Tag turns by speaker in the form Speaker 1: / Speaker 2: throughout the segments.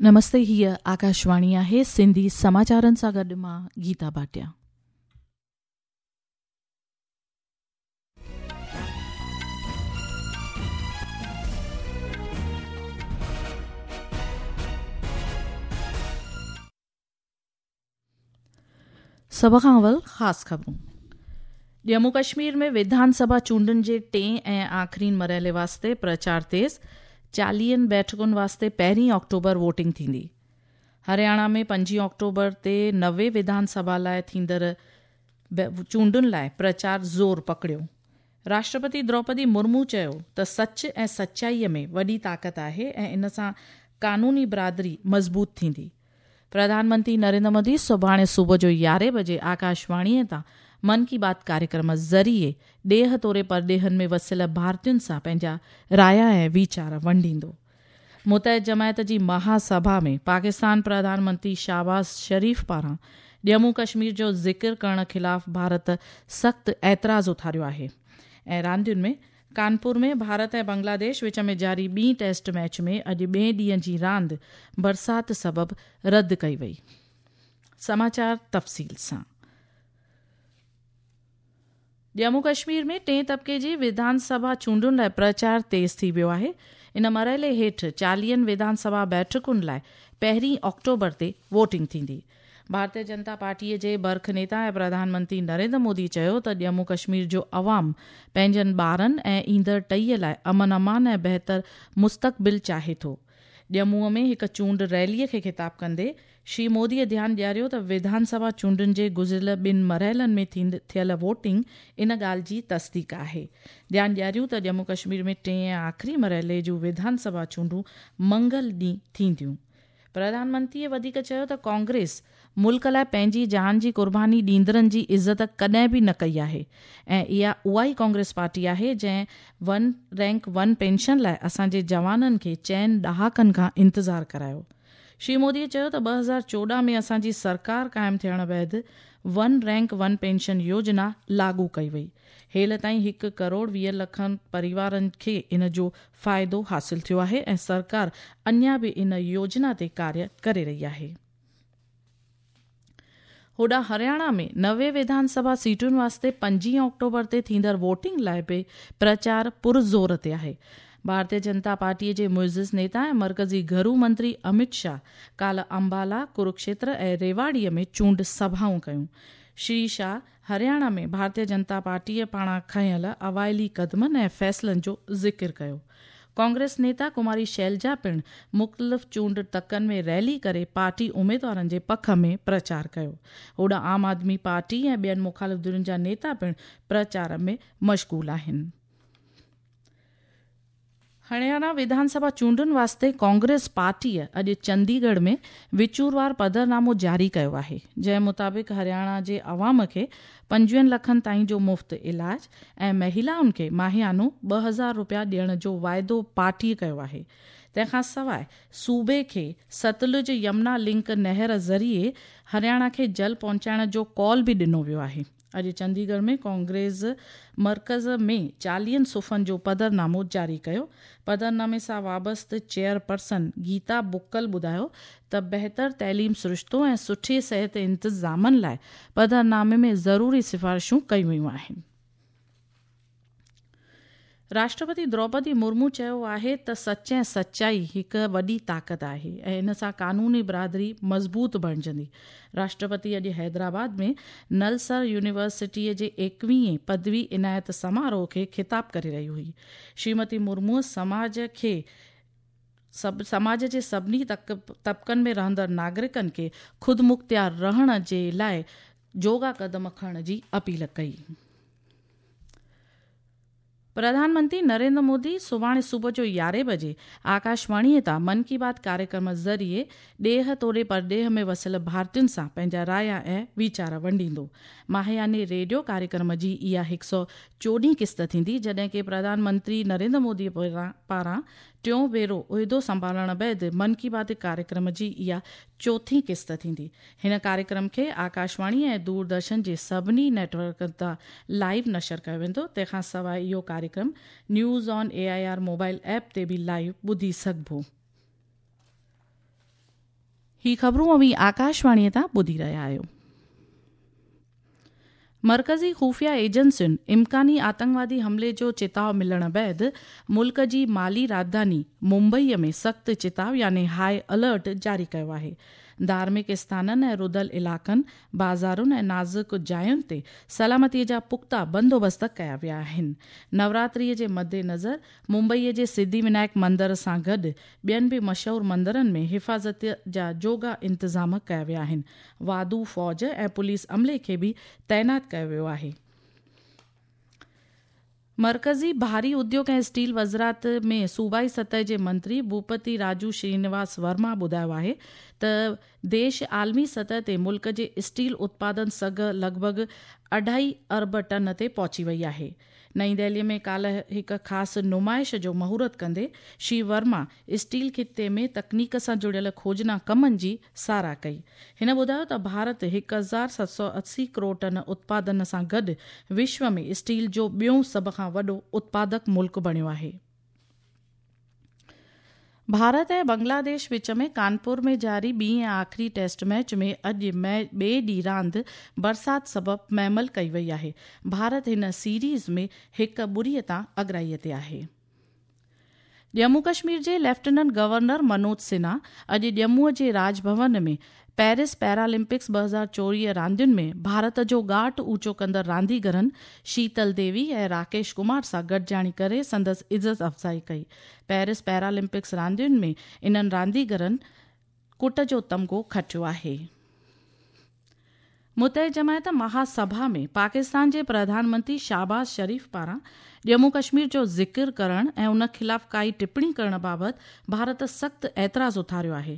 Speaker 1: نمستي هيء آڪاشواڻي آهي سنڌي سماچارن سان گڏ مان گيتا ڀاٽيا. سڀ کان اول خاص خبرون. ڄمون ڪشمير ۾ وڌان سڀا چونڊن جي ٽئين ۽ آخرين مرحلي واسطي پرچار تيز، چاليهن بيٺڪن واسطي پهرين آڪٽوبر ووٽنگ ٿيندي. هرياڻا ۾ پنجين آڪٽوبر تي 90 وڌان سڀا لاء ٿيندڙ چونڊن لاء پرچار زور پڪڙيو. راشٽرپتي دروپدي مرمو چيو ته سچ ۽ سچائي ۾ وڏي طاقت آهي ۽ ان سان قانوني برادري مضبوط ٿيندي. پرڌان منتري نريندر مودي سڀاڻي صبح جو يارهين بجي آڪاشواڻيء تان من ڪي بات ڪاريڪرم ذريعي ڏيهه توڙي پرڏيهن ۾ وسيل ڀارتين سان پنهنجا رايا ۽ ويچار ونڊيندو. متحد جماعت جي مها سڀا ۾ پاڪستان پرڌان منتري شهباز شريف پاران ڄمون ڪشمير جو ذڪر ڪرڻ خلاف ڀارت سخت اعتراض اٿاريو آهي ۽ راندين ۾ ڪانپور ۾ ڀارت ۽ بنگلاديش وچ ۾ جاري ٻي ٽيسٽ ميچ ۾ اڄ ٻئي ڏينهن جي راند برسات سبب رد ڪئي وئي. سماچار تفصيل سان ڄمون ڪشمير ۾ ٽئين طبقي جي وڌان سڀا چونڊن لاء پرچار تيز ٿي ويو آهي. ان مرحلي هيٺ چاليهن وڌان سڀا بيٺڪن لاء پهرين آڪٽوبر تي ووٽنگ ٿيندي. ڀارتيه جنتا پارٽيء جي برک نيتا ۽ پرڌان منتري نريندر مودي چيو ته ڄمون ڪشمير جو عوام پنهنجن ٻارن ۽ ايندڙ ٽهيء لاء امن امان ۽ بهتر مستقبل چاهي ٿو. ڄمونء ۾ هڪ چونڊ ريليء کي خطاب ڪندي شري موديء ڌيان ڏياريو ته وڌان سڀا چونڊن جي گذريل ٻن مرحلن ۾ ٿيل ووٽنگ ان ڳالهه جي تصديق آهي. ڌيان ڏياريون ته ڄمون ڪشمير ۾ ٽئين ۽ آخري مرحلي جون وڌان سڀا چونڊون منگل ڏينهن ٿينديون. پرڌان منتريء وڌيڪ چيو ته ڪانگريس ملڪ لاء پنهنجي جان جي قرباني ڏيندڙن جي عزت ڪڏهن به نه ڪئي آهي ۽ اها اها ئي ڪانگريس پارٽي آهي جنهن ون رينڪ ون پينشن لاء اسان جي جوانن کي چئن ڏهاڪن کان انتظار ڪرايو. شري مودي چيو ته 2014 ۾ اسان جي سرڪار قائم ٿيڻ بعد ون رينڪ ون پينشن يوجنا لاڳو ڪئي وئي. هيل تائين هڪ ڪروڙ 20 لکن پريوارن کي ان جو فائدو حاصل ٿيو آهي ۽ سرڪار اڃا به ان يوجنا تي ڪاريه ڪري رهي آهي. هوڏانهن هرياڻا ۾ 90 وڌان سڀا سيٽن واسطي پنجين آڪٽوبر تي ٿيندڙ ووٽنگ لاء به پرچار پرزور تي آهي. ڀارتيه جنتا پارٽي جي معزز نيتا ۽ مرڪزي گهرو منتري امت شاهه ڪالهه امبالا، ڪروڪشيتر ۽ ريواڙي ۾ چونڊ سڀائون ڪيون. شري شاهه هرياڻا ۾ ڀارتيه جنتا پارٽيء پاران کنيل اوائلي قدمن ۽ فيصلن جو ذڪر ڪيو. ڪانگريس نيتا ڪماري شيلجا پڻ مختلف چونڊ تڪن ۾ ريلي ڪري پارٽي اميدوارن جي پک ۾ پرچار ڪيو. هوڏانهن عام آدمي پارٽي ۽ ٻين مخالف ڌرين جا نيتا پڻ پرچار ۾ مشغول آهن. هرياڻا وڌان سڀا چونڊن واسطي ڪانگريس پارٽيء اڄ چنديڳڙهه ۾ وچوروار پڌرنامو جاري ڪيو آهي، جنهن مطابق هرياڻا جي عوام کي پنجويهن لکن تائين جو مفت علاج ۽ مهلائن کي ماهيانو 2000 رپيا ڏيڻ جو واعدو پارٽيء ڪيو آهي. تنهن کان سواء صوبي کي ستلج يمنا لنڪ نهر ذريعي هرياڻا کي جل پهچائڻ جو قول به ڏنو ويو آهي. اڄ چنديڳڙهه ۾ ڪانگريس مرڪز ۾ چاليهن صفحن جو پڌرنامو جاري ڪيو. پڌرنامي سان وابسته چيئرپرسن گيتا بڪل ٻڌايو ته بهتر تعليم سرشتو ۽ سٺي صحت انتظامن لاء پڌرنامي ۾ ضروري سفارشون ڪيون ويون آهن. راشٽرپتي دروپدي مرمو چيو آهي ته سچ ۽ سچائي هڪ وڏي طاقت آهي ۽ ان سان قانوني برادري مضبوط بڻجندي. راشٽرپتي اڄ حيدرآباد ۾ نلسر يونيورسٽيء جي ايڪويهين پدوي عنايت سماروهه کي خطاب ڪري رهي هئي. شريمتي مرموء سماج کي سماج جي سڀني طبقن ۾ رهندڙ ناگرڪن کي خودمختيار رهڻ جي لاء جوڳا قدم کڻڻ جي اپيل ڪئي. پرڌان منتري نريندر مودي سڀاڻي صبح جو يارهين بجي آڪاشواڻيء تان من ڪي بات ڪاريڪرم ذريعي ڏيهه توڙي پرڏيهه ۾ وسيل ڀارتين سان پنهنجا رايا ۽ ويچار ونڊيندو. ماهياني ريڊيو ڪاريڪرم جي اها هڪ سؤ چوڏهين قسط ٿيندي، جڏهن ڪي پرڌان منتري نريندر مودي پاران ٽيون ڀيرو عهدو سنڀالڻ بعد من ڪي بات ڪاريڪرم جي اها چوٿين قسط ٿيندي. هن ڪاريڪرم کي آڪاشواڻي ۽ دوردرشن جي سڀني نيٽ ورڪن تان لائيو نشر ڪيو ويندو. تنهن کان سواء اهو ڪاريڪرم news on A I R mobile app تي به لائيو ٻڌي سگهبو. هي خبرون اوهين آڪاشواڻيء تان ٻڌي رهيا آهيو. مرڪزي خفيه ايجنسين امڪاني آتنڪوادي حملي جو چتاء ملڻ بعد ملڪ جي مالي راڄڌاني ممبئي ۾ سخت چتاء يعني هاء الرٽ جاري ڪيو آهي. ڌارمڪ اسٿانن ۽ رڌل علائقن، بازارن ۽ نازڪ جاين تي سلامتي جا پختا بندوبست ڪيا ويا آهن. نوراتري جي مدنظر ممبئي جي سڌي ونائڪ مندر سان گڏ ٻين به مشهور مندرن ۾ حفاظت جا جوڳا انتظام ڪيا ويا آهن. واڌو فوج ۽ پوليس عملي کي به تعينات ڪيو ويو آهي. مرڪزي ڀاري اديوگ ۽ اسٽيل وزارت ۾ صوبائي سطح جي منتري ڀوپتي راجو شرينواس ورما ٻڌايو آهي ته ديش عالمي سطح تي ملڪ جي اسٽيل اتپادن سگهه لڳ ڀڳ اڍائي ارب ٽن تي پهچي وئي آهي. نئين دهلي ۾ ڪالهه هڪ خاص نمائش جو مهورت ڪندي شري ورما اسٽيل خطي ۾ تڪنيڪ سان جڙيل کوجنا ڪمن جي ساراهه ڪئي. هن ٻڌايو ته ڀارت 1780 ڪروڙ ٽن اتپادن سان گڏ وشو ۾ اسٽيل جو ٻيون سڀ کان وڏو اتپادڪ ملڪ بڻيو آهي. ڀارت ۽ بنگلاديش وچ ۾ ڪانپور ۾ جاري ٻي ۽ آخري ٽيسٽ ميچ ۾ اڄ ٻئي ڏينهن راند برسات سبب معمل ڪئي وئي آهي. ڀارت هن سيريز ۾ هڪ ٻڙي تان اڳرائي تي آهي. ڄمون ڪشمير جي ليفٽيننٽ گورنر منوج سنها اڄ ڄمون جي راڄ ڀون ۾ پيرس پيرالمپڪس 2024 راندين ۾ ڀارت جو ڳاٽ اوچو ڪندڙ رانديگرن شيتل ديوي ۽ راڪيش ڪمار سان گڏجاڻي ڪري سندس عزت افزائي ڪئي. پيرس پيرالمپڪس راندين ۾ انهن رانديگرن ڪٽ جو تمغو کٽيو آهي. متحده جماعت مها سڀا ۾ پاڪستان جي پرڌان منتري شهباز شريف پاران ڄمون ڪشمير جو ذڪر ڪرڻ ۽ ان خلاف ڪائي ٽپڻي ڪرڻ بابت ڀارت سخت اعتراض اٿاريو آهي.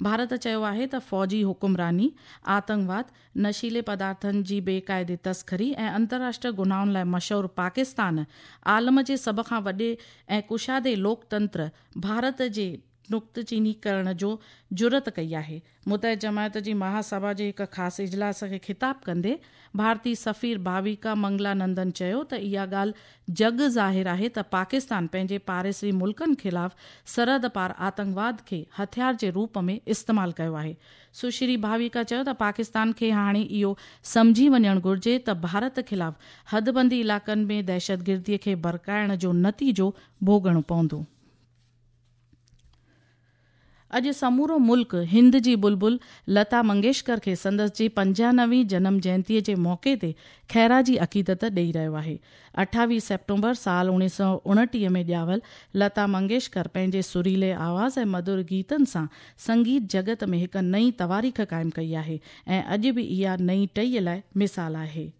Speaker 1: ڀارت چيو آهي ته فوجي حڪمراني، آتنڪواد، نشيلي پدارٿن جي بي قاعدي تسخري ۽ انترراشٽر گناهن لاء مشهور پاڪستان عالم جي سڀ کان وڏي ۽ ڪشادي لوڪتنتر ڀارت جي نڪته چيني ڪرڻ جو جرئت ڪئي آهي. متحده جماعت جي مها سڀا جي هڪ خاص اجلاس کي خطاب ڪندي ڀارتي سفير ڀاويڪا منگلا نندن چيو ته اها ڳالهه جڳ ظاهر آهي ته پاڪستان پنهنجي پاڙيسري ملڪن خلاف سرحد پار آتنڪواد کي هٿيار جي روپ ۾ استعمال ڪيو آهي. سشري ڀاويڪا چيو ته پاڪستان کي هاڻي اهو سمجهي وڃڻ گهرجي ته ڀارت خلاف حدبندي علائقن ۾ دهشتگردي کي ڀڙڪائڻ جو نتيجو ڀوڳڻو پوندو. اڄ سمورو ملڪ هند جي بلبل لتا منگيشڪر کي سندس جي پنجانوي جنم جينتي جي موقعي تي خيراجي عقيدت ڏئي رهيو آهي. 28 سيپٽمبر سال 1929 ۾ ڄاول لتا منگيشڪر پنهنجي سريلي آواز ۽ مڌر گيتن سان سنگيت جڳت ۾ هڪ نئين تواريخ قائم ڪئي آهي ۽ اڄ به اها نئين ٽهي لاء مثال آهي.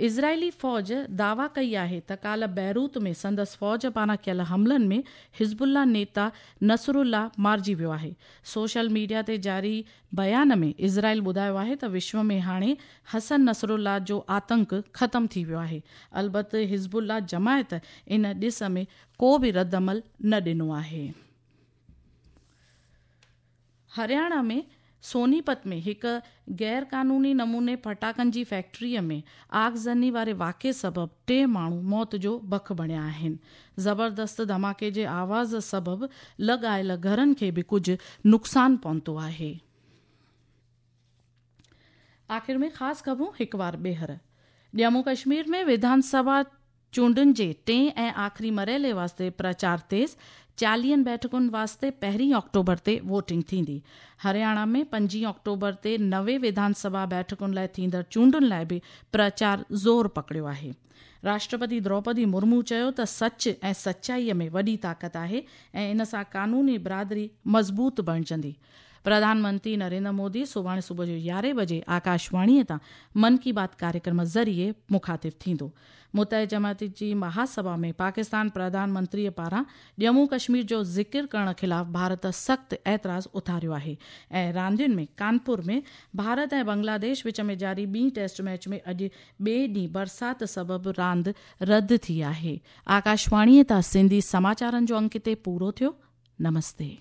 Speaker 1: اسرائيلي فوج دعويٰ ڪئي آهي ته ڪالهه بيروت ۾ سندس فوج پاران ڪيل حملن ۾ حزب الله نيتا نصر الله مارجي ويو آهي. سوشل ميڊيا تي جاري بيان ۾ اسرائيل ٻڌايو آهي ته وشو ۾ هاڻي حسن نصر الله جو آتنڪ ختم ٿي ويو آهي. البت حزب الله جماعت ان ڏس ۾ ڪو به ردعمل نه ڏنو آهي. هرياڻا ۾ سونيپت ۾ هڪ غيرقانوني نموني ڦٽاڪن جي فيڪٽري ۾ آگزني واري واقعي سبب ٽي ماڻهو موت جو بک بڻيا آهن. زبردست ڌماڪي جي آواز سبب لڳ آيل گهرن کي به ڪجهه نقصان پهتو آهي. آخر ۾ خاص خبرون هڪ وار ٻيهر. ڄمون ڪشمير ۾ وڌان سڀا چونڊن جي ٽئين ۽ آخري مرحلي واسطي پرچار تيز، چاليهن بيٺڪن واسطي پهرين آڪٽوبر تي ووٽنگ ٿيندي. هرياڻا ۾ پنجين آڪٽوبر تي 90 وڌان سڀا بيٺڪن لاء ٿيندڙ چونڊن لاء به پرچار زور پڪڙيو آهي. راشٽرپتي دروپدي مرمو چيو ته سچ ۽ سچائي ۾ وڏي طاقت آهي ۽ ان سان قانوني برادري مضبوط بڻجندي. پرڌان منتري نريندر مودي سڀاڻي صبح جو يارهين بجي آڪاشواڻي تان من ڪي بات ڪاريڪرم ذريعي مخاطب ٿيندو. متحده جماعت جي مهاسڀا ۾ پاڪستان پرڌان منتري پاران ڄمون ڪشمير جو ذڪر ڪرڻ خلاف ڀارت سخت اعتراض اٿاريو آهي ۽ راندين ۾ ڪانپور ۾ ڀارت ۽ بنگلاديش وچ ۾ جاري ٻي ٽيسٽ ميچ ۾ اڄ ٻئي ڏينهن برسات سبب راند رد ٿي آهي. آڪاشواڻي تان سنڌي سماچارن جو انڪ هتي پورو ٿيو. نمستي.